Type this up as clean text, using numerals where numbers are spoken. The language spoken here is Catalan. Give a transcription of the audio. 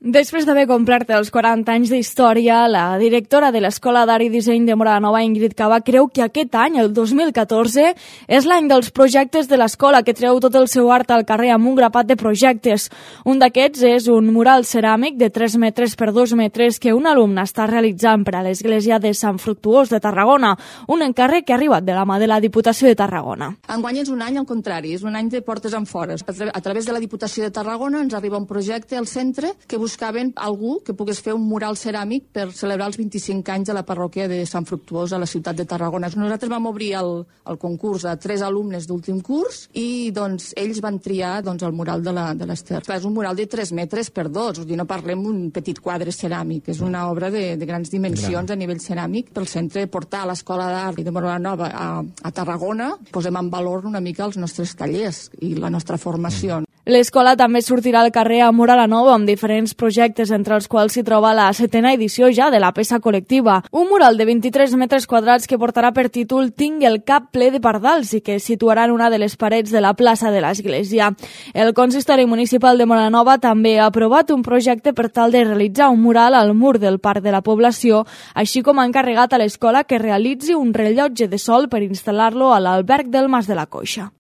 Després d'haver complert els 40 anys d'història, la directora de l'Escola d'Art i Disseny de Móra la Nova, Ingrid Cava, creu que aquest any, el 2014, és l'any dels projectes de l'escola, que treu tot el seu art al carrer amb un grapat de projectes. Un d'aquests és un mural ceràmic de 3 metres per 2 metres que un alumne està realitzant per a l'església de Sant Fructuós de Tarragona, un encàrrec que ha arribat de la mà de la Diputació de Tarragona. Enguany és un any al contrari, és un any de portes enfores. A través de la Diputació de Tarragona ens arriba un projecte al centre que buscaven algú que pogués fer un mural ceràmic per celebrar els 25 anys de la parròquia de Sant Fructuós a la ciutat de Tarragona. Nosaltres vam obrir el concurs a 3 alumnes d'últim curs i ells van triar el mural de l'Ester. És un mural de 3 metres per 2, no parlem d'un petit quadre ceràmic, és una obra de grans dimensions a nivell ceràmic. Pel centre portar a l'Escola d'Art de Móra la Nova a Tarragona, posem en valor una mica els nostres tallers i la nostra formació. L'escola també sortirà al carrer a Móra la Nova amb diferents projectes, entre els quals s'hi troba la 7ª edició ja de la peça col·lectiva. Un mural de 23 metres quadrats que portarà per títol Tinc el cap ple de pardals i que es situarà en una de les parets de la plaça de l'església. El consistori municipal de Móra la Nova també ha aprovat un projecte per tal de realitzar un mural al mur del parc de la població, així com ha encarregat a l'escola que realitzi un rellotge de sol per instal·lar-lo a l'alberg del Mas de la Coixa.